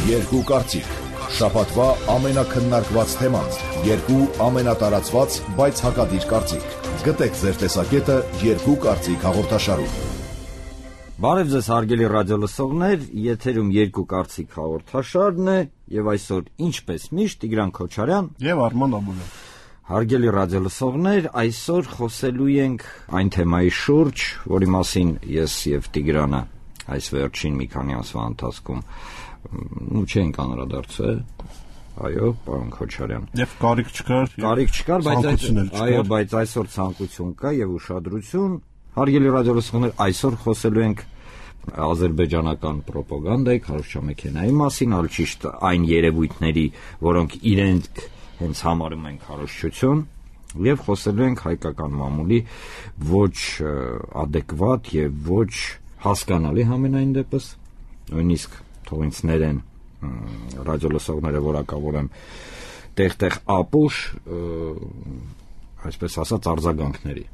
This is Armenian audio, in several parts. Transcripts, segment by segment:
Երկու կարծիք, շաբաթվա ամենակննարկված թեման, երկու ամենատարածված, բայց հակադիր կարծիք։ Գտեք ձեր տեսակետը Երկու կարծիք հաղորդաշարում։ Բարև ձեզ հարգելի ռադիոլսողներ, եթերում Երկու կարծիք հաղորդաշարն է, եւ այսօր ինչպես միշտ Տիգրան Քոչարյան եւ Արման Աբուլյան։ Հարգելի ռադիոլսողներ, այսօր խոսելու ենք այն թեմայի շուրջ, որի մասին ես եւ Տիգրանը այս վերջին մի քանի ամսվա ընթացքում չենք անդրադարձել, այո, պարոն Քոչարյան։ Եվ կարիք չկար, բայց այսօր ցանկություն կա եւ ուշադրություն։ Հարգելի ռադիոլսողներ, այսօր խոսելու ենք ադրբեջանական ռոպագանդայի, քարոզչամեքենայի մասին, այլ ճիշտ այն երևույթների, որոնք իրենք հենց համարում են քարոզչություն, եւ խոսելու ենք հայկական մամուլի ոչ adekvat եւ ոչ հասկանալի համենայն դեպս, նույնիսկ թող ինձ ներեն ռադիոլսողները, որակավորեմ տեղ-տեղ ապուշ, այսպես ասած արձագանքների։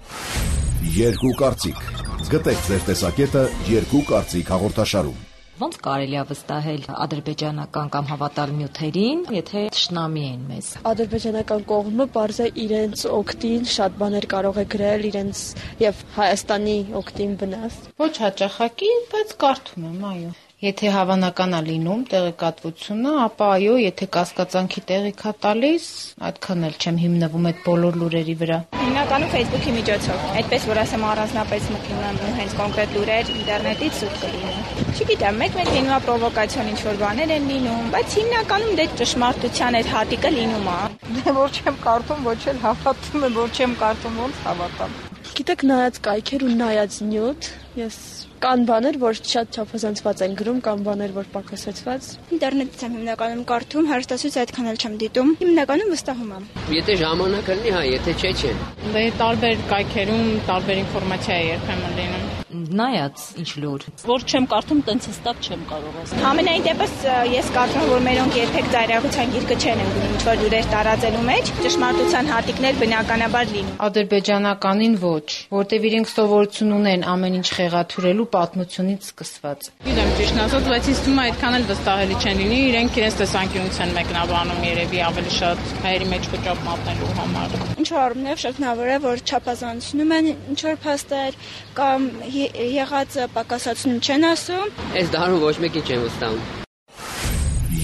Երկու կարծիք։ Գտեք ձեր տեսակետը Երկու կարծիք հաղորդաշարում։ Ոնց կարելի է վստահել ադրբեջանական կամ հավատալ նյութերին, եթե թշնամի են մեզ։ Ադրբեջանական կողմը բարձր իրենց օգտին շատ բաներ կարող է գրել իրենց եւ Հայաստանի օգտին վնաս։ Ոչ հաճախակի, բայց կարդում եմ, այո։ Եթե հավանական է լինում տեղեկատվությունը, ապա այո, եթե կասկածանքի տեղիք է տալիս, այդքան էլ չեմ հիմնվում այդ բոլոր լուրերի վրա։ Հիմնականում Facebook-ի միջոցով, այդպես որ ասեմ առանձնապես մտնում եմ հենց կոնկրետ լուրեր ինտերնետից սուտ կլինեն։ Չգիտեմ, մեկ-մեկ լինում է պրովոկացիոն ինչ-որ բաներ են լինում, բայց հիմնականում դե ճշմարտության այդ հատիկը լինում է։ Դե որ չեմ կարդում, ոչ էլ հավատում եմ, որ չեմ կարդում, ոնց հավատամ։ Գիտեք, նայած կայքեր ու նայած նյութ, ես կան բաներ, որ շատ չափազանցված են գրում, կան բաներ, որ պակասեցված։ Ինտերնետից եմ հիմնականում կարդում, հեռուստացույց այդքան էլ չեմ դիտում։ Հիմնականում վստահում եմ։ Եթե ժամանակ լինի, հա, եթե չէ։ Դե տարբեր կայքերում տարբեր ինֆորմացիա է երբեմն լինում։ Նայած ինչ լուր։ Որ չեմ կարդում, տենց հստակ չեմ կարող ասել։ Ամենայն դեպս ես կարծում եմ, որ մերոնք երբեք ծայրահեղության գիրկը չեն ընկնում ինչ-որ լուրեր տարածելու մեջ, ճշմարտության հատիկներ բնականաբար լինում։ Ադրբեջանականին ոչ, որտեվ իրենք սովորություն ունեն ամեն ինչ խեղաթյուրելու պատմությունից սկսված։ Գիտեմ ճիշտն ասած, բայց ինձ թվում է այդքան էլ վստահելի չեն լինի, իրենք իրենց տեսանկյունից են մեկնաբանում երևի ավելի շատ հայերի մեջ խոճապ մատնելու համար։ Ինչ որ առումներով շղթնավոր է, որ չափազանցնում են ինչ որ փաստեր կամ եղածը պակասացնում չեն ասում։ Այս դարում ոչ մեկին չեմ վստահում։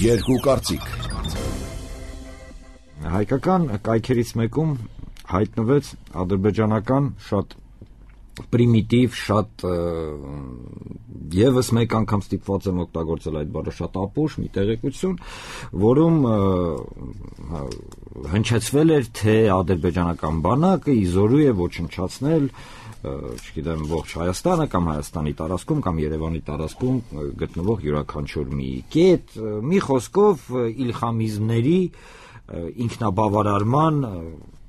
Երկու կարծիք։ Հայկական կայքերից մեկում հայտնվեց ադրբեջանական շատ պրիմիտիվ, շատ եւս մեկ անգամ ստիպված եմ օգտագործել այդ բառը, շատ ապուշ մի տեղեկություն, որում հնչեցվել էր, թե ադրբեջանական բանակը իզորու է ոչնչացնել, չգիտեմ, ողջ Հայաստանը կամ Հայաստանի տարածքում կամ Երևանի տարածքում գտնվող յուրաքանչյուր մի կետ, մի խոսքով իլխամիզմների ինքնաբավարարման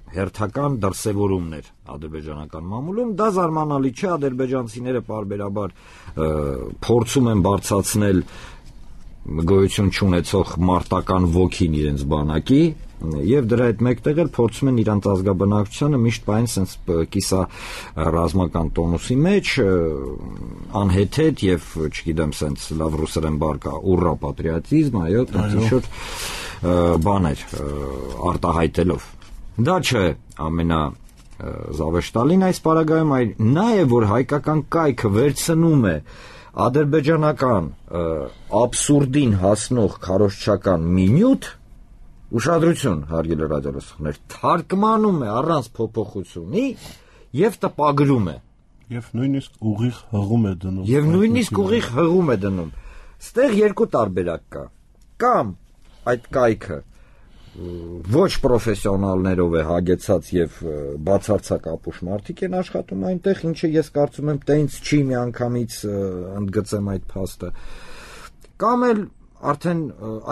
հերթական դրսևորումներ ադրբեջանական մամուլում։ Դա զարմանալի չէ, ադրբեջանցիները պարբերաբար փորձում են բարձրացնել գոյություն չունեցող մարտական ոգին իրենց բանակի եւ դրա հետ մեկտեղ էլ փորձում են իրանց ազգաբնակչությանը միշտ պայն sense կիսա ռազմական տոնուսի մեջ անհեթեթ եւ չգիտեմ sense լավ ռուսերեն բառ կա ուռա պատրիոտիզմ, այո, ինչ-որ բաներ արտահայտելով։ Դա չէ ամենազավեշտալին այս պարագայում, այլ նա է, որ հայկական կայքը վերցնում է ադրբեջանական աբսուրդին հասնող քարոզչական մի նյութ, ուշադրություն, հարգելի ռադիոլսողներ, թարգմանում է առանց փոփոխությունի եւ տպագրում է։ Եվ նույնիսկ ուղիղ հղում է դնում։ Ստեղ երկու տարբերակ կա։ Կամ այդ կայքը ոչ պրոֆեսիոնալներով է հագեցած եւ բացարձակ ապուշ մարդիկ են աշխատում այնտեղ, ինչը ես կարծում եմ տենց չի միանգամից ընդգծեմ այդ փաստը, կամ էլ արդեն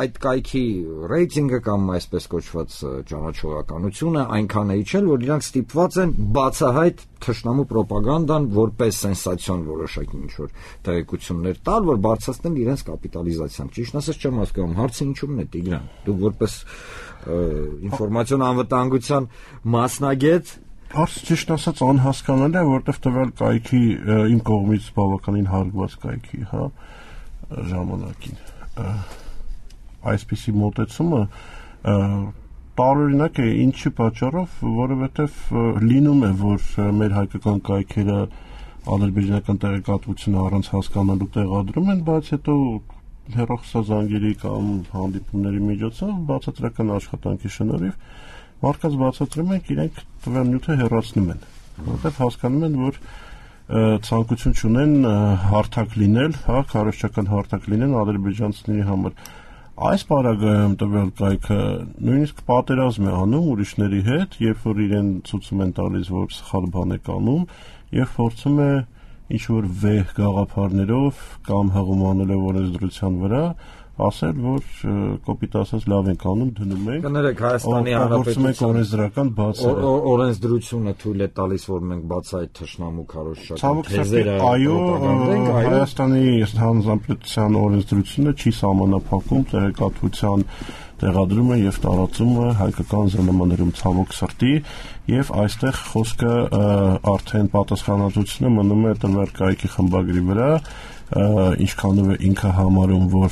այդ կայքի ռեյտինգը կամ այսպես կոչված ճանաչողականությունը այնքան է իջել, որ իրանք ստիպված են բացահայտ թշնամու ռոպագանդան որպես սենսացիոն որոշակի ինչ-որ տեղեկություններ տալ, որ բարձրացնեն իրենց կապիտալիզացիան։ Ճիշտ ասած չեմ հասկանում, հարցը ինչու՞մն է, Տիգրան։ Դու որպես ինֆորմացիոն անվտանգության մասնագետ Հարցը ճիշտ ասած անհասկանալի է, որովհետև տվյալ կայքի իմ կողմից բավականին հարգված կայքի, հա, ժամանակին այսպիսի մոտեցումը տարօրինակ է, ինչի պատճառով, որովհետև լինում է, որ մեր հայկական կայքերը ադրբեջանական տեղեկատվությունը առանց հասկանալու տեղադրում են, բայց հետո հեռախոսազանգերի կամ հանդիպումների միջոցով բացատրական աշխատանքի շնորհիվ մարդկանց բացատրում են, իրենք տվյալ նյութը հեռացնում են, որովհետև հասկանում են, որ ցանկություն չունեն հարթակ լինել, քարոզչական հարթակ լինեն ադրբեջանցիների համար։ Այս պարագայում տվյալ կայքը նույնիսկ պատերազմ է անում ուրիշների հետ, երբ որ իրեն ցույց են տալիս, որ սխալ բան է անում, եւ փորձում է ինչ-որ վեհ գաղափարներով կամ հղումանելով օրենսդրության վրա ասել, որ կոպիտ ասած լավ ենք անում, դնում ենք։ Կներեք, Հայաստանի Հանրապետության օրենսդրական բացերը։ Օրենսդրությունը թույլ է տալիս, որ մենք բաց այդ թշնամու քարոզչական թեզերը Հայաստանի Հանրապետության օրենսդրությունը չի սահմանափակում տեղեկատվության տեղադրումը եւ տարածումը հայկական ԶԼՄ-ներում ցավոք սրտի եւ այստեղ խոսքը արդեն պատասխանատվությունը մնում է տվյալ կայքի խմբագրի վրա, ինչքանով է ինքը համարում, որ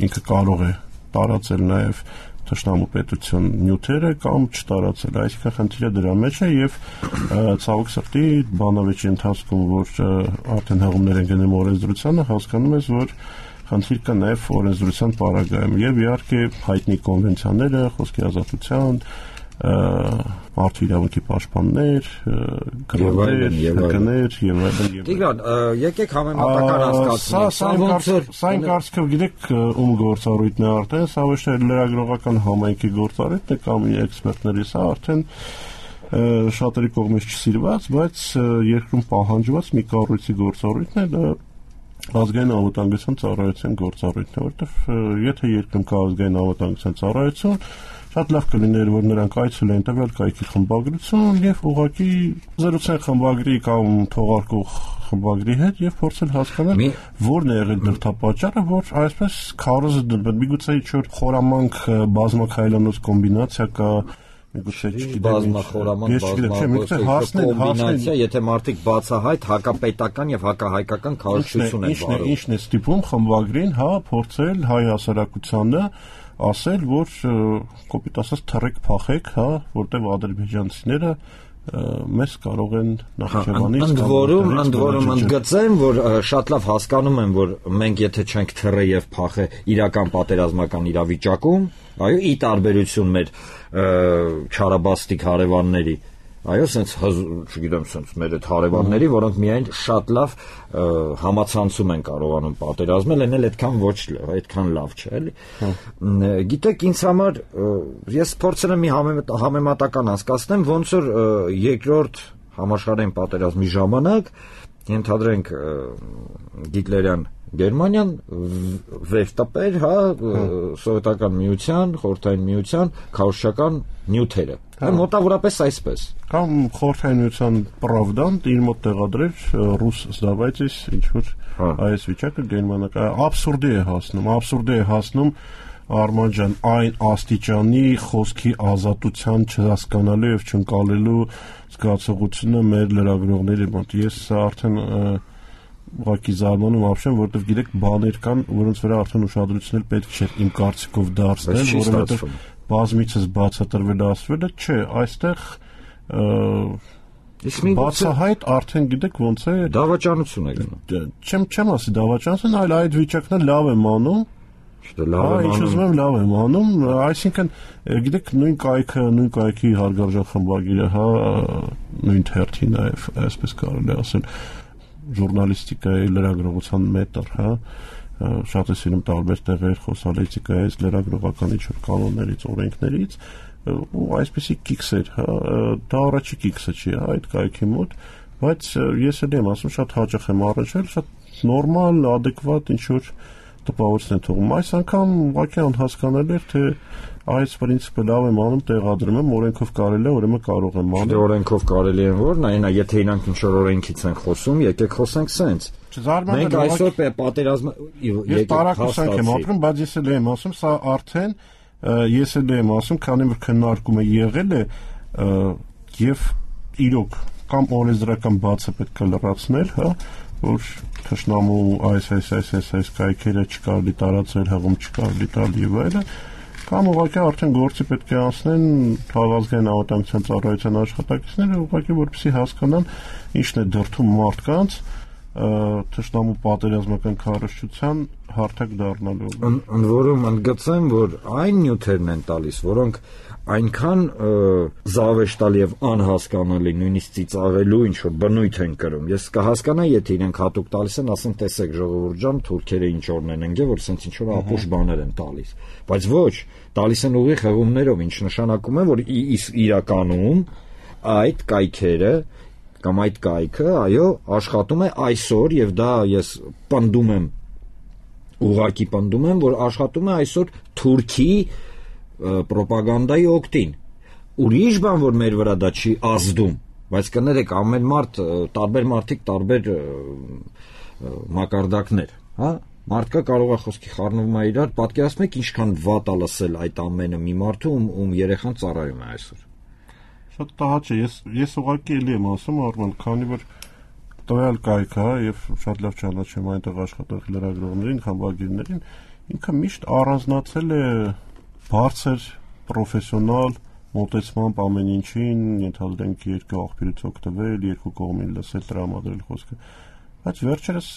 ինքը կարող է տարածել նաեւ թշնամու պետություն նյութերը կամ չտարածել, այսինքն խնդիրը դրա մեջ է եւ ցավոք սրտի բանավեճի ընթացքում, որ արդեն հղումներ են գնում օրենսդրությանը, հասկանում ես, որ խնդիր կա նաև օրենսդրության պարագայում եւ իհարկե հայտնի կոնվենցիաները, խոսքի ազատության, մարդու իրավունքի պաշտպաններ, գրողներ, եւ այլն։ Տիգրան, եկեք համեմատական հասկացնենք։ Սա ինքնարժեքով գիտեք ում գործառույթն է արդեն, սա ոչ թե լրագրողական համայնքի գործառույթն է կամ էքսպերտների, սա արդեն շատերի կողմից չսիրված, բայց երկրում պահանջված մի կառույցի գործառույթն է, դա ազգային անվտանգության ծառայության գործառույթն է, որովհետև եթե երկրում կա ազգային անվտանգության ծառայություն, շատ լավ կլիներ, որ նրանք այցելեն տվյալ կայքի խմբագրություն եւ ուղղակի զրուցեն խմբագրի կամ թողարկող խմբագրի հետ եւ փորձել հասկանալ որն է եղել դրդապատճառը, որ այսպես քարոզը դրվել։ Միգուցե ինչ-որ խորամանկ բազմաքայլանոց կոմբինացիա կա, կոմբինացիա, եթե մարդիկ բացահայտ հակապետական եւ հակահայկական քարոզչություն են վարում։ Ինչն է ստիպում խմբագրին, փորձել հայ հասարակությանը ասել, որ կոպիտ ասած թռեք փախեք, որտեղ ադրբեջանցիները մեզ կարող են Նախիջևանից ընդ որում ընդգծեմ, որ շատ լավ հասկանում եմ, որ մենք եթե չենք թռե եւ փախե իրական պատերազմական իրավիճակում, այո, ի տարբերություն մեր չարաբաստիկ հարևանների, այո, sense, չգիտեմ, sense մեր այդ հարևանների, որոնք միայն շատ լավ համացանցում են կարողանում պատերազմել, են էլ այդքան լավ չէ, էլի։ Գիտեք, ինձ համար ես փորձել եմ մի համեմատական հասկացնեմ, ոնց որ երկրորդ համաշխարհային պատերազմի ժամանակ ենթադրենք Հիտլերյան Գերմանիան վեր տպեր, սովետական միության, խորհրդային միության քարոզչական նյութերը։ Մոտավորապես այսպես։ Կամ խորհրդային միության Պրավդան իր մոտ տեղադրեր ռուս սդավայցից ինչ-որ այս վիճակը գերմանական աբսուրդի է հասնում Արման ջան, այն աստիճանի խոսքի ազատության չհասկանալու եւ չընկալելու զգացողությունը մեր լրագրողների մոտ։ Ես արդեն ուղղակի զարմանում ապշեմ, որովհետև գիտեք բաներ կան, որոնց վրա արդեն ուշադրություն պետք չէ իմ կարծիքով դարձնել, որովհետև բազմիցս բացատրվել ասվել է, չէ, այստեղ բացահայտ արդեն գիտեք ոնց է դավաճանություն է գնում։ Չեմ ասի դավաճանություն, այլ այդ վիճակն լավ եմ անում։ Ինչ ուզում եմ լավ եմ անում, այսինքն գիտեք նույն կայքի հարգարժան խմբագիրը, նույն թերթի նաև այսպես կարելի ասել ժուրնալիստիկայի լրագրողության մետր, շատ է սիրում տարբեր տեղեր խոսալիցիկայից, լրագրողական ինչ-որ կանոններից, օրենքներից, ու այսպեսի կիքս էր, դա առաջի կիքսը չի, այդ կայքի մոտ, բայց ես էլ եմ ասում, շատ հաճախ եմ առնչվել, շատ նորմալ, ադեկվատ ինչ-որ տպավորություն է թողում։ Այս անգամ ուղղակի անհասկանալի էր, թե այս պրինցիպը լավ եմ անում, տեղադրում եմ, օրենքով կարելի է, ուրեմն կարող եմ անել։ Չէ, օրենքով կարելի է որ, նայ, եթե իրանք ինչ-որ օրենքից են խոսում, եկեք խոսենք սենց։ Մենք այսօր պատերազմը ես տարակուսանք եմ ապրում, բայց ես էլ եմ ասում, սա արդեն ես էլ եմ ասում, քանի որ քննարկումը եղել է եւ իրոք կամ օրենսդրական բացը պետք է լրացնել, որ թշնամու այս կայքերը չկարելի տարածել, հղում չկարելի տալ եւ այլն, կամ ուղղակի արդեն գործի պետք է անցնեն Քաղաքացիական անվտանգության ծառայության աշխատակիցները, ուղղակի որպեսզի հասկանան ինչն է դրդում մարդկանց թշնամու պատերազմական քարոզչության հարթակ դառնալու։ Ընդ որում ընդգծեմ, որ այն նյութերն են տալիս, որոնք այնքան զավեշտալ եւ անհասկանալի, նույնիսկ ծիծաղելու ինչ որ բնույթ են կրում։ Ես կհասկանայի, եթե իրենք հատուկ տալիս են, ասեն, տեսեք ժողովուրդ ջան, թուրքերը ինչ օրն են ընկել, որ սենց ինչ որ ապուշ բաներ են տալիս։ Բայց ոչ, տալիս են ուղիղ հղումներով, ինչ նշանակում է, որ իրականում այդ կայքերը կամ այդ կայքը, այո, աշխատում է այսօր եւ դա ես պնդում եմ, ուղղակի պնդում եմ, որ աշխատում է այսօր Թուրքի պրոպագանդայի օգտին։ Ուրիշ բան, որ մեր վրա դա չի ազդում, բայց կներեք, ամեն մարդ, տարբեր մարդիկ, տարբեր մակարդակներ, հա? Մարդկա կարող է խոսքի խառնվում է իրար, պատկերացնեք ինչքան վատ է լսել այդ ամենը մի մարդու, ում երեխան ծառայում է այսօր։ Շատ տհաճ է, ես ուղղակի էլի եմ ասում, Արման, քանի որ տվյալ կայքը, եւ շատ լավ ճանաչեմ այնտեղ աշխատող լրագրողներին, խմբագիրներին, ինքը միշտ առանձնացել է բարձր պրոֆեսիոնալ մոտեցմամբ ամեն ինչին, ենթադրենք երկու աղբյուրից օգտվել, երկու կողմին լսել, տրամադրել խոսքը։ Բայց վերջերս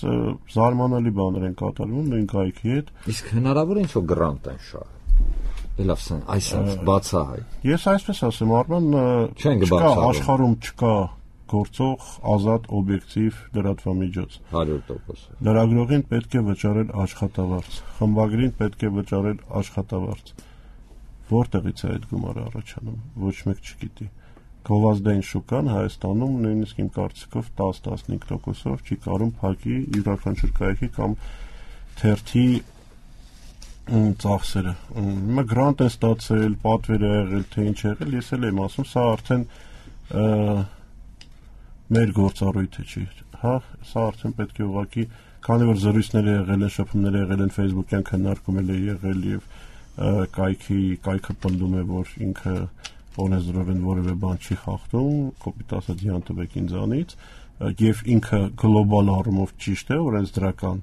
զարմանալի բաներ են կատարվում նույն կայքի հետ։ Իսկ հնարավոր է ինչ-որ գրանտ են շահել։ Դելավսեն, այսպես բացահայ։ Ես այսպես ասեմ, Արման, չկա աշխարհում չկա գործող ազատ օբյեկտիվ լրատվամիջոց։ 100%։ Լրագրողին պետք է վճարել աշխատավարձ, խմբագրին պետք է վճարել աշխատավարձ։ Որտեղից է այդ գումարը առաջանում, ոչ մեկ չգիտի։ Գովազդային շուկան Հայաստանում նույնիսկ իմ կարծիքով 10-15%-ով չի կարող փակի յուրաքանչյուր կայքի կամ թերթի ծախսերը։ Հիմա գրանտ է ստացել, պատվեր է եղել, թե ինչ եղել, ես էլ եմ ասում, սա արդեն մեր գործառույթը չի, հա, սա արդեն պետք է ուղղակի, քանի որ զրույցներ եղել են, շփումներ եղել են, Facebook-յան քննարկումներ է եղել եւ կայքը պնդում է, որ ինքը օրենսդրորեն որևէ բան չի խախտում, կոպիտ ասած յան տվեք ինձանից, եւ ինքը գլոբալ առումով ճիշտ է, օրենսդրական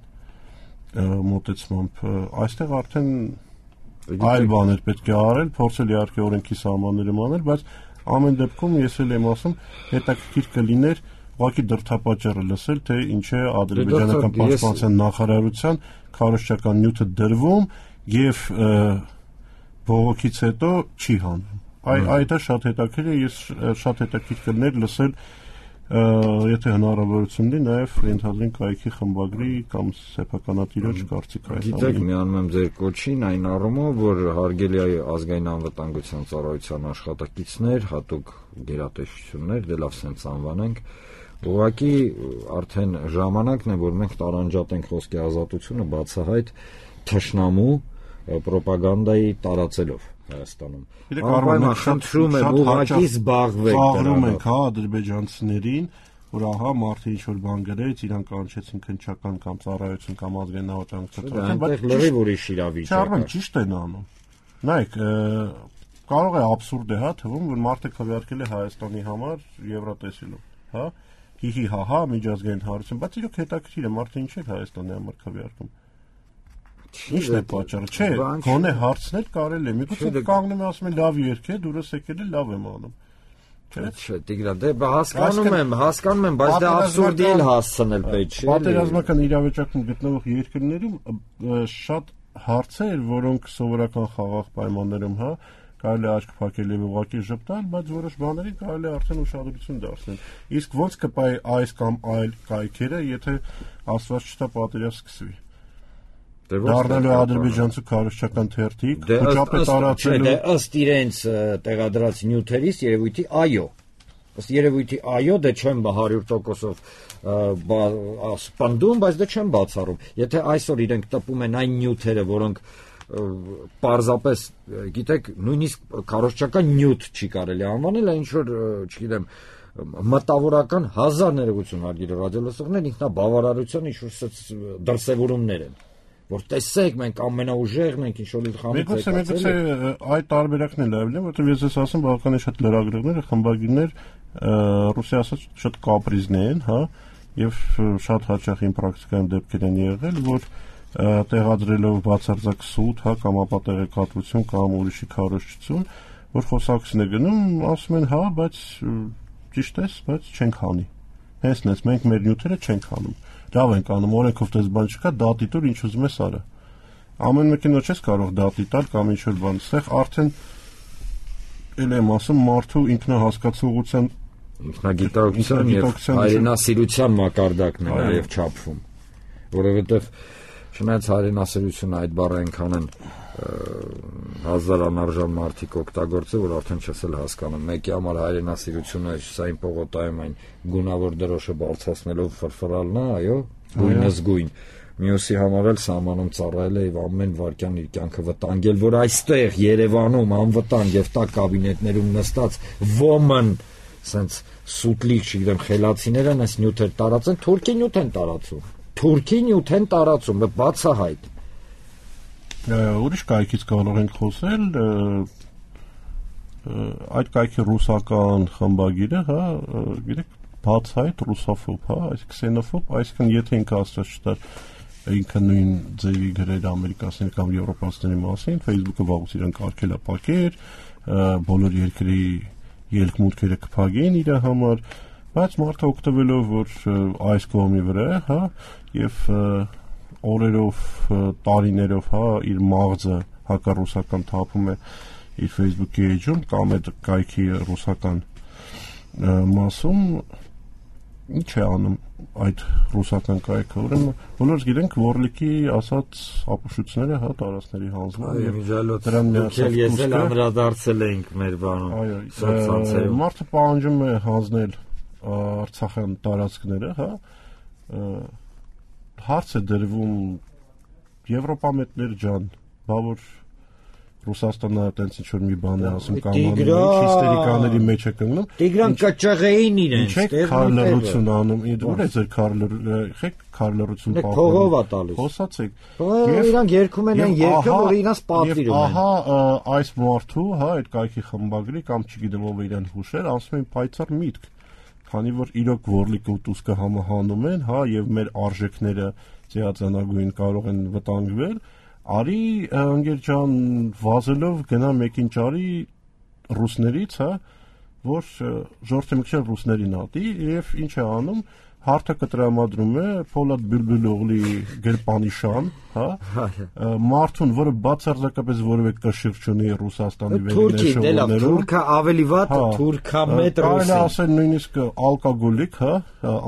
մոտեցմամբ, այստեղ արդեն այլ բաներ պետք է արել, փորձել իհարկե օրենքի սահմաններում անել, բայց ամեն դեպքում ես էլ եմ ասում, հետաքրքիր կլիներ ուղղակի դրդապատճառը լսել, թե ինչ է ադրբեջանական պաշտպանության նախարարության քարոզչական նյութը դրվում եւ բողոքից հետո չի հանում։ Այդ է շատ հետաքրքիր է, ես շատ հետաքրքիր կլիներ լսել եթե հնարավորություն ունի նաև ենթադրենք կայքի խմբագրի կամ սեփականատիրոջ կարծիքը այս ամենի։ Գիտեք, միանում եմ ձեր կոչին այն առումով, որ հարգելի է ազգային անվտանգության ծառայության աշխատակիցներ, հատուկ գերատեսչություններ, դե լավ սենց անվանենք, ուղղակի արդեն ժամանակն է, որ մենք տարանջատենք խոսքի ազատությունը բացահայտ թշնամու պրոպագանդայի տարածելով Հայաստանում։ Անպայման խնդրում եմ ուղղակի զբաղվեք դրանով։ Ենք հա ադրբեջանցիներին, որ ահա մարդը ինչ որ բան գրեց, իրան կանչեցին քնչական կամ ծառայություն կամ ազգային անվտանգության, բայց լրիվ ուրիշ իրավիճակ է։ Չարմեն ճիշտ են անում։ Նայեք, կարող է աբսուրդ է հա թվում, որ մարդը քվեարկել է Հայաստանի համար Եվրատեսիլում, հա։ Հիհի հա միջազգային հարություն, բայց իրոք հետաքրքիր է մարդը ինչ է Հայաստանի համար քվեարկում։ Ինչն է պատճառը, չէ, գոնե հարցնել կարելի է։ Միգուցե կանգնում է ասում է լավ երգ է, դուրս եկել է, լավ եմ անում։ Չէ, Տիգրան, դե հասկանում եմ, բայց դա աբսուրդի էլ հասցնել պետք չէ։ Պատերազմական իրավիճակում գտնվող երկրներում շատ հարցեր, որոնք սովորական խաղաղ պայմաններում, հա, կարելի է աչք փակել եւ ուղղակի ժպտալ, բայց որոշ բաների կարելի է արդեն ուշադրություն դարձնել։ Իսկ ո՞նց կպայի այս կամ այլ կայքերը, եթե աստված չտա պատերազմ սկսվի։ Դառնալու ադրբեջանցու քարոզչական թերթիկ, խոչապետ տարածելու։ Դե ըստ իրենց տեղադրած նյութերից երևույթի այո։ Ըստ երևույթի այո, դե չեմ 100%-ով սպանդում, բայց դե չեմ բացառում։ Եթե այսօր իրենք տպում են այն նյութերը, որոնք պարզապես, գիտեք, նույնիսկ քարոզչական նյութ չի կարելի անվանել, այն ինչ որ, չգիտեմ, մտավորական հազար ներողություն հարգելի ռադիոլսողներ, ինքնաբավարարության ինչ որ դրսևորումներ են, որ տեսեք, մենք ամենաուժեղն ենք, ինչ որ խանութ եկացել։ Միգուցե այդ տարբերակն էլ ավելին, որովհետև ես ես ասում, բավականին շատ լրագրողներ, խմբագիրներ, ռուսի ասած շատ կապրիզներ են, հա, եւ շատ հաճախ իմ պրակտիկայում դեպքեր են եղել, որ տեղադրելով բացարձակ սուտ, հա, կամ ապա տեղեկատվություն կամ ուրիշի քարոզչություն, որ խոսակցին է գնում, ասում են, հա, բայց ճիշտ է, բայց չենք անի։ Հենց մենք մեր նյութերը չենք անում։ Լավ ենք անում, օրենքով դες բան չկա, դատի տուր, ինչ ուզում ես արա։ Ամեն մեկին ոչ ես կարող դատի տալ կամ ինչ որ բան, այստեղ արդեն էլ եմ ասում մարդու ինքնահասկացողության ինքնագիտակցության եւ հայրենասիրության մակարդակն է նաեւ չափվում, որովհետեւ չնայած հայրենասիրությունը այդ բառը այնքան են հազար անարժան մարդիկ օգտագործել, որ արդեն չես էլ հասկանում։ Մեկի համար հայրենասիրությունը սային պողոտայում այն գունավոր դրոշը բարձրացնելով ֆրֆրալն է, այո, գույնս գույն։ Մյուսի համար էլ սահմանում ծառայել է եւ ամեն վարքյան իր կյանքը վտանգել, որ այստեղ Երևանում անվտանգ եւ տակ կաբինետներում նստած ոմն սենց սուտլիկ, չգիտեմ, խելացիները այս նյութեր տարածեն, թուրքի նյութ են տարածում։ Թուրքի նյութ են տարածում, բացահայտ։ Ուրիշ կայքից կարող ենք խոսել, այդ կայքի ռուսական խմբագիրը, հա, գիտեք, բացահայտ ռուսոֆոբ, հա, այս քսենոֆոբ, այսինքն եթե ինքը աստված չտար ինքը նույն ձևի գրեր ամերիկացիների կամ եվրոպացիների մասին, Facebook-ը վաղուց իրեն կարգել է պակեր, բոլոր երկրի ելք-մուտքերը կփակեն իր համար, բայց մարդը օգտվելով որ այս կողմի վրա է, հա, եւ օրերով, տարիներով, հա, իր մաղձը հակառուսական թափում է իր Facebook-ի էջում կամ այդ կայքի ռուսական մասում, ինչ է անում այդ ռուսական կայքը, ուրեմն բոլորս գիտենք Որլիկի ասած ապուշությունները, հա, տարածքների հանձնում եւ դրան միացել ես էլ անդրադարձել էինք մեր բանում սոցցանցերում։ Մարդը պահանջում է հանձնել Արցախյան տարածքները, հա, հարց է դրվում Եվրոպամետներ ջան, բա որ Ռուսաստանը այտենց ինչ որ մի բան է ասում կամ հիստերիկաների մեջ է կանգնում։ Տիգրան կճղեին իրենց, քարլրություն անում, ուր է ձեր քարլրություն պահում։ Փողով է տալիս։ Խոսացեք։ Եվ իրանք երգում են այն երգը, որը իրանց պատվիրում են։ Ահա այս մարդու, հա, այդ կայքի խմբագրի կամ չգիտեմ ով իրեն հուշեր, ասում են պայծառ միտք, քանի որ իրոք Որլիկը ու Տուսկը համահանում են, հա, եւ մեր արժեքները ծիածանագույն կարող են վտանգվել։ Արի ընկեր ջան վազելով գնա մեկին ճարի ռուսներից, հա, որ ժողովրդի մեկը ռուսներին ատի եւ ինչ է անում, հարթը կտրամադրում է Պոլադ Բյուլբյուլօղլի գրպանիշան, հա, մարդուն, որը բացարձակապես որևէ կշիռ չունի Ռուսաստանի վերնեշողներում։ Թուրքը ավելի վատ, թուրքա մետ ռուսի։ Կարելի ասել նույնիսկ ալկոգոլիկ, հա,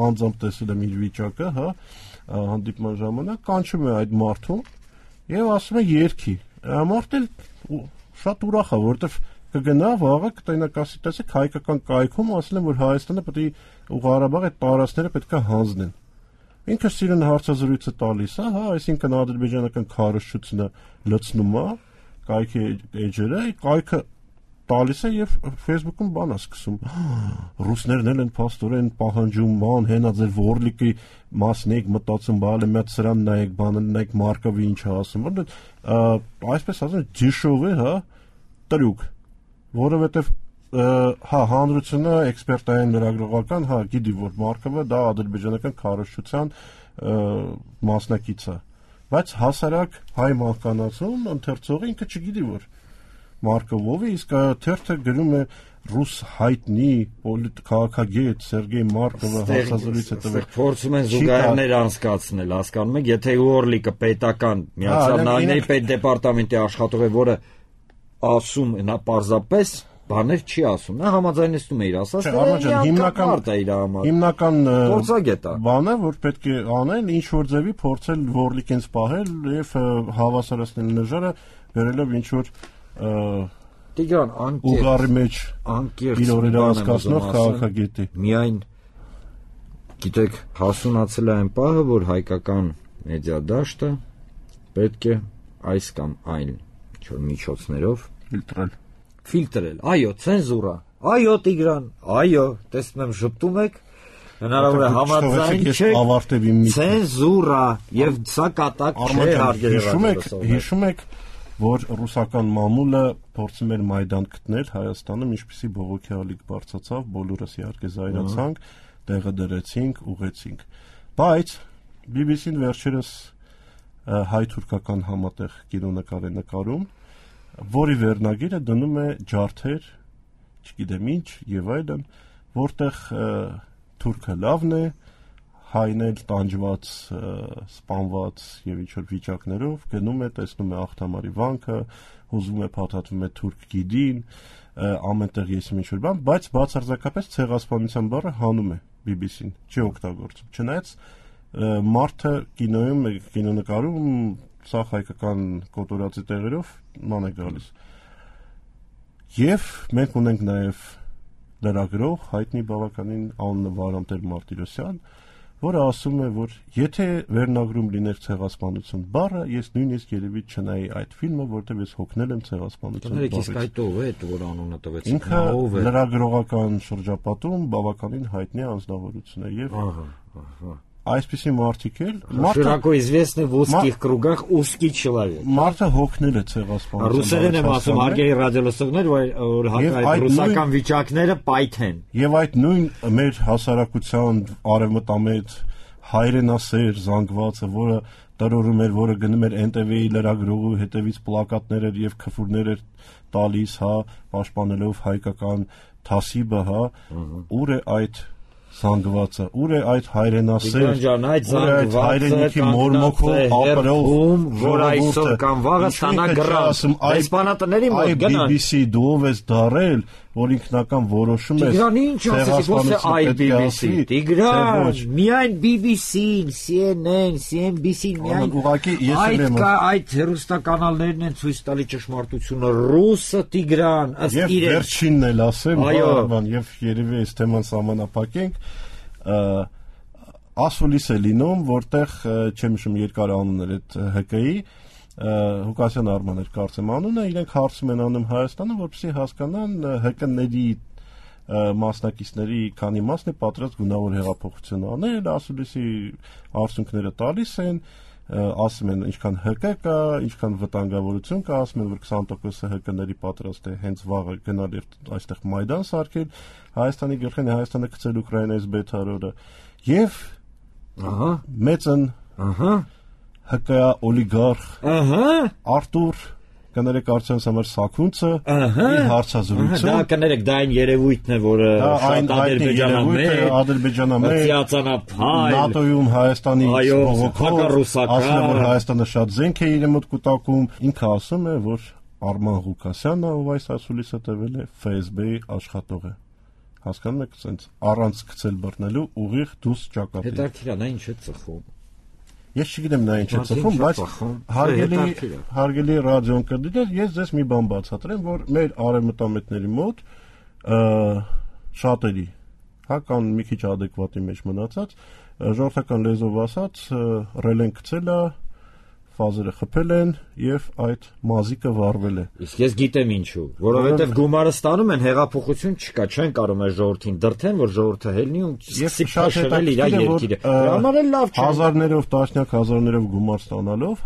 անձամբ տեսել եմ իր վիճակը, հա, հանդիպման ժամանակ կանչում է այդ մարդուն եւ ասում է երկի։ Մարդը շատ ուրախ է, որովհետեւ կգնա վաղը կտենակասի տեսեք հայկական կայքում ասել են որ Հայաստանը պետք է ու Ղարաբաղը այդ տարածքները պետք է հանձնեն։ Ինքը սիրուն հարցազրույցը տալիս է, հա, այսինքն ադրբեջանական քարոզչությունը լցնում է կայքի էջերը, կայքը տալիս է եւ Facebook-ում բան է սկսում։ Ռուսներն են փաստորեն պահանջում ման հենա ձեր Որլիկի մասն եք մտածում, բալը մեծ սրան նայեք, բանը նայեք Մարկովի ինչ է ասում, որ այսպես ասած դիշով է, հա, տրուկ, որովհետեւ հա հանրությունը էքսպերտային լրագրողական, հա, գիտի որ Մարկովը դա ադրբեջանական քարոզչության մասնակից է, բայց հասարակ հայ մահկանացուն ընթերցողը ինքը չգիտի որ Մարկովովը իսկ թերթը գրում է ռուս հայտնի քաղաքագետ Սերգեյ Մարկովը հասազրույց է տվել։ Փորձում են զուգահեռներ անցկացնել, հասկանում եք, եթե Օրլիկը պետական Միացյալ Նահանգների պետդեպարտամենտի աշխատող է, որը ասում նա պարզապես բաներ չի ասում, նա համաձայնեցնում է իր ասածները, հիմնական փորձագետ է։ Բանը, որ պետք է անել, ինչ որ ձևի փորձել Որլիկին սպահել եւ հավասարացնել նժարը, գրելով ինչ որ Տիգրան ուղղարի մեջ իր օրերը անցկացնող քաղաքագետի։ Միայն գիտեք, հասունացել է այն պահը, որ հայկական մեդիա դաշտը պետք է այս կամ այն միջոցներով ֆիլտրել։ Այո, ցենզուրա։ Այո, Տիգրան, այո, տեսնում եմ շփտում եք, հնարավոր է համաձայն չեք։ Ցենզուրա, եւ սա կատակ չէ հարգելի։ Հիշում եք որ ռուսական մամուլը փորձում էր Մայդան գտնել Հայաստանում, ինչպիսի բողոքի ալիք բարձրացավ, բոլորս իհարկե զայրացանք, տեղը դրեցինք, ուղեցինք։ Բայց BBC-ն վերջերս հայ-թուրքական համատեղ կինոնկար է նկարում, որի վերնագիրը դնում է ջարդեր, չգիտեմ ինչ եւ այլն, որտեղ թուրքը լավն է, հայն էլ տանջված, սպանված եւ ինչ-որ վիճակներով գնում է, տեսնում է աղթամարի վանքը, հուզվում է, փաթաթվում է թուրք գիդին, ամենտեղ եսիմ ինչ-որ բան, բայց բացարձակապես ցեղասպանության բառը հանում է BBC-ն, չի օգտագործում։ Չնայած մարդը կինոյում, կինոնկարում սա հայկական կոտորածի տեղերով ման է գալիս։ Եվ մենք ունենք նաեւ լրագրող հայտնի բավականին անունը Վարամտեր Մարտիրոսյան, որը ասում է, որ եթե վերնագրում լիներ ցեղասպանություն բառը, ես նույնիսկ երևի չնայի այդ ֆիլմը, որտեղ ես հոգնել եմ ցեղասպանություն բառից։ Իսկ այդ ով է, որ անունը տվեց։ Ինքը լրագրողական շրջապատում բավականին հայտնի անձնավորություն է եւ այսպիսի մարդիկ էլ շիրակո известный в узких кругах узкий человек։ Մարդը հոգնել է ցեղասպանության։ Ռուսերեն եմ ասում, հարգելի ռադիոլսողներ, որ հակառակ ռուսական վիճակները պայթ են։ Եվ այդ նույն մեր հասարակության արևմտամետ հայրենասեր զանգվածը, որը տրորում էր, որը գնում էր NTV-ի լրագրողու հետևից պլակատներ եւ քֆուրներ էր տալիս, պաշտպանելով հայկական թասիբը, ուր է այդ զանգվածը, ուր է այդ հայրենասեր, ուր է այդ հայրենիքի մորմոքով ապրող, որ այսօր կամ վաղը ստանա գրած, դեսպանատների մոտ գնան։ BBC դու ես դարել, որ ինքնական որոշում ես։ Տիգրան, ինչ ասես, ոչ թե BBC, Տիգրան, միայն BBC-ն, CNN, CNBC-ն, միայն այդ հեռուստականալներն են ցույց տալի ճշմարտությունը, ռուսը Տիգրան, ըստ իրեն։ Եվ վերջինն էլ ասեմ, բան, եւ երևի այս թեման սահմանափակենք, ասուլիս է լինում, որտեղ չեմ հիշում երկար անուններ այդ ՀԿ-ի Հուկասյան Արմաներ կարծեմ անունը, իրենք հարցում են անում Հայաստանը, որպեսզի հասկանան ՀԿ-ների մասնակիցների քանի մասն է պատրաստ գունավոր հեղափոխություն անել, ասուլիսի արդյունքները տալիս են, ասում են ինչքան ՀԿ կա, ինչքան վտանգավորություն կա, ասում են որ 20%-ը ՀԿ-ների պատրաստ է հենց վաղը գնալ եւ այստեղ Մայդան սարքել, Հայաստանի գլխին Հայաստանը գցել Ուկրաինայից բետարորը եւ մեծն ՀԿ օլիգարխ Արտուր կներեք արդյունս համար Սաքունցը իր հարցազրույցը դա կներեք դա այն երևույթն է որը շատ ադրբեջանամետ հացանափայլ ՆԱՏՕ-ում Հայաստանի բողոքով ասում որ Հայաստանը շատ զենք է իր մոտ կուտակում ինքը ասում է որ Արման Ղուկասյանը ով այս ասուլիսը տվել է ՖՍԲ-ի աշխատող է հասկանում եք ասենց առանց գցել բռնելու ուղիղ դուս ճակատի հետաքրքիր է ինչ է ծխում Ես չգիտեմ նա ինչ է ծխում, բայց հարգելի ռադիոն կդիտել, ես ձեզ մի բան բացատրեմ, որ մեր արևմտամետների մոտ շատերի, կան մի քիչ adekvati մեջ մնացած, ժողովրդական լեզվով ասած, ռելեն գցել է, ֆազերը խփել են եւ այդ մազիկը վառվել է։ Իսկ ես գիտեմ ինչու, որովհետեւ գումարը ստանում են, հեղափոխություն չկա, չեն կարող այս ժողովրդին դրթեն, որ ժողովուրդը ելնի ու սկսի փաշել իր երկիրը։ Համար էլ լավ չէ։ Հազարներով, տասնյակ հազարներով գումար ստանալով,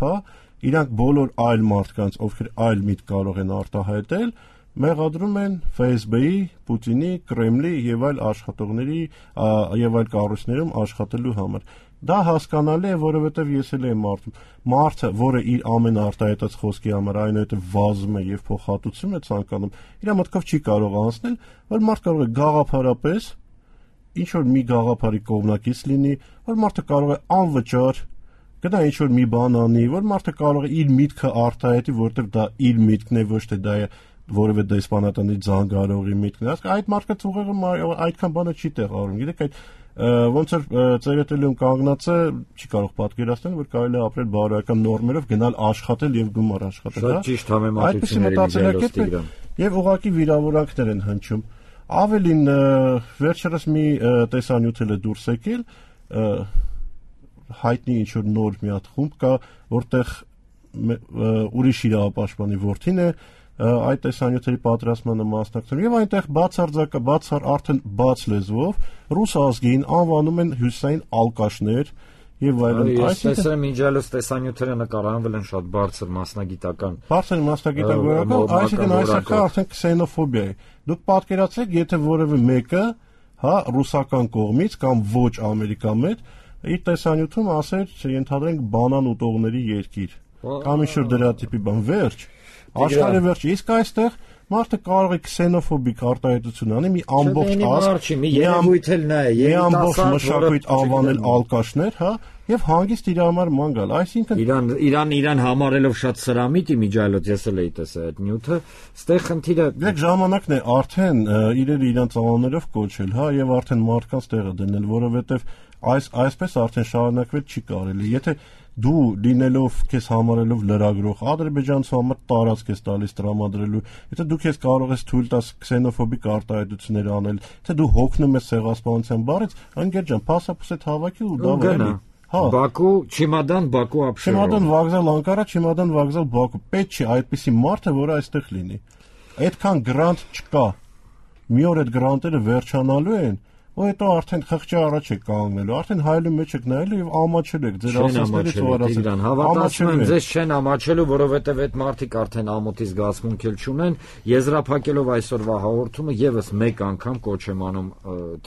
իրանք բոլոր այլ մարդկանց, ովքեր այլ միտք կարող են արտահայտել, մեղադրում են ՖՍԲ-ի, Պուտինի, Կրեմլի եւ այլ աշխատողների եւ այլ կառույցներում աշխատելու համար։ Դա հասկանալի է, որովհետև ես էլ եմ մարդը, որը իր ամեն արտահայտած խոսքի համար այնուհետև վազում է եւ փոխհատուցում է ցանկանում, իր մտքով չի կարող անցնել, որ մարդ կարող է գաղափարապես ինչ որ մի գաղափարի կողմնակից լինի, որ մարդը կարող է անվճար գնա ինչ որ մի բան անի, որ մարդը կարող է իր միտքը արտահայտի, որովհետև դա իր միտքն է, ոչ թե դա է որևէ դեսպանատանի զանգարողի միտքն է։ Այդ մարդը ուղղակի այդքան բանը չի տեղավորում։ Գիտեք, այդ ոնց որ ծերետելիում կանգնածը չի կարող պատկերացնել, որ կարելի է ապրել բարոյական նորմերով, գնալ աշխատել եւ գումար աշխատել, հա։ Շատ ճիշտ համեմատությունների եւ ուղղակի վիրավորանքներ են հնչում։ Ավելին վերջերս մի տեսանյութ է դուրս եկել, հայտնի ինչ որ նոր մի հատ խումբ կա, որտեղ ուրիշ իրավապաշտպանի որդին է այդ տեսանյութերի պատրաստմանը մասնակցում եւ այնտեղ բացարձակ արդեն բաց լեզվով ռուս ազգին անվանում են հյուսային ալկաշներ եւ այլն այս տեսեմ միջալոց տեսանյութերը նկարահանվել են շատ բարձր մասնագիտական այսինքն այսինքն արդեն քսենոֆոբիա է դուք պատկերացրեք եթե որևէ մեկը հա, ռուսական կողմից կամ ոչ ամերիկամետ իր տեսանյութում ասեր, ենթադրենք բանան ուտողների երկիր կամ ինչ-որ դրա տիպի բան, վերջ, աշխարհի վերջ, իսկ այստեղ մարդը կարող է քսենոֆոբիկ արտահայտություն անի, մի ամբողջ ազգ, մի ամբողջ մշակույթ անվանել ալկաշներ, հա, եւ հանգիստ իր համար ման գալ, այսինքն Իրան համարելով շատ սրամիտ իմիջայլոց ես էլ էի տեսել այդ նյութը, ստեղ խնդիրը Դեք ժամանակն է արդեն իրերը իրանց անուններով կոչել, հա, եւ արդեն մարդկանց տեղը դնել, որովհետեւ այսպես արդեն շարունակվել չի կարելի, եթե դու լինելով քեզ համարելով լրագրող ադրբեջանցու համար տարածք ես տալիս տրամադրելու, եթե դու քեզ կարող ես թույլ տաս քսենոֆոբիկ արտահայտություններ անել, թե դու հոգնում ես ցեղասպանության բառից, անգեր ջան, փասափուսետ հավաքի ու դա վելի։ Հա, Բաքու, Չիմադան, Բաքու ապշերով։ Չիմադան վокзал Անկարա, Չիմադան վокзал Բաքու։ Պետք չի այդպիսի մարդը, որը այստեղ լինի։ Այդքան գրանտ չկա։ Մի օր այդ գրանտերը վերջանալու են, ու հետո արդեն խղճի առաջ եք կանգնելու, արդեն հայելու մեջ եք նայելու եւ ամաչել եք ձեր ասածներից ու արածից։ Հավատացում եմ, ձեզ չեն ամաչելու, որովհետեւ այդ մարդիկ արդեն ամոթի զգացմունք էլ չունեն, եզրափակելով այսօրվա հաղորդումը եւս մեկ անգամ կոչ եմ անում,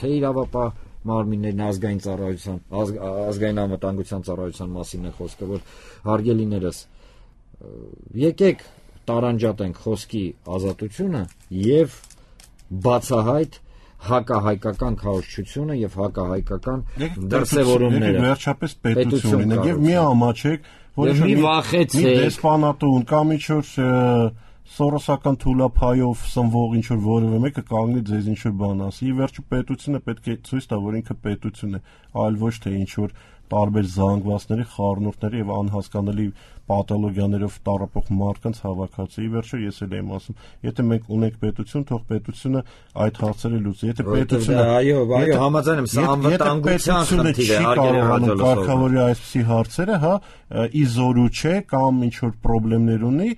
թե իրավապահ մարմիններն ազգային ծառայության, ազգային անվտանգության ծառայության մասին է խոսքը, որ հարգելիներս եկեք տարանջատենք խոսքի ազատությունը եւ բացահայտ հակահայկական քաոսչությունը եւ հակահայկական դրսեւորումները վերջապես պետությունն է եւ մի ամաչեք, որ մի վախեցեք, մի դեսպանատուն կամ ինչ-որ սորոսական թուլափայով սնվող ինչ-որ որևէ մեկը կանգնի ձեզ ինչ-որ բան ասի, ի վերջո պետությունը պետք է ցույց տա, որ ինքը պետություն է, այլ ոչ թե ինչ-որ տարբեր զանգվածների, խառնուրդների եւ անհասկանալի պաթոլոգիաներով տառապող մարդկանց հավաքածու։ Ի վերջո ես էլ եմ ասում, եթե մենք ունենք պետություն, թող պետությունը այդ հարցերը լուծի։ Եթե պետությունը այո, համաձայն եմ, սա անվտանգության խնդիր է, հարգելի կարգավորի այսպիսի հարցերը, հա, իզորու չէ կամ ինչ որ խնդիրներ ունի,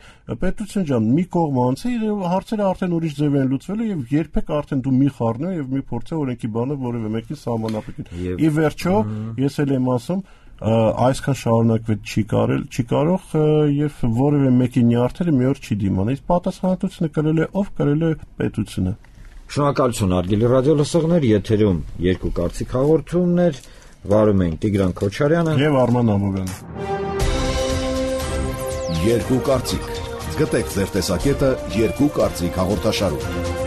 պետություն ջան, մի կողմ անցի, հարցերը արդեն ուրիշ ձև են լուծվելու եւ երբեք արդեն դու մի խառնու եւ մի փորձի օրենքի բանը որևէ մեկին սահմանափակել։ Ի վերջո, ես էլ եմ ասում, այսքան շարունակվել չի կարող եւ որևէ մեկի նյարդերը մի օր չի դիմանա։ Իսկ պատասխանատվությունը կրել է ով, կրել է պետությունը։ Շնորհակալություն հարգելի ռադիոլսողներ, եթերում երկու կարծիք հաղորդումներ, վարում են Տիգրան Քոչարյանը եւ Արման Ամովյանը։ Երկու կարծիք։ Գտեք ձեր տեսակետը երկու կարծիք հաղորդաշարում։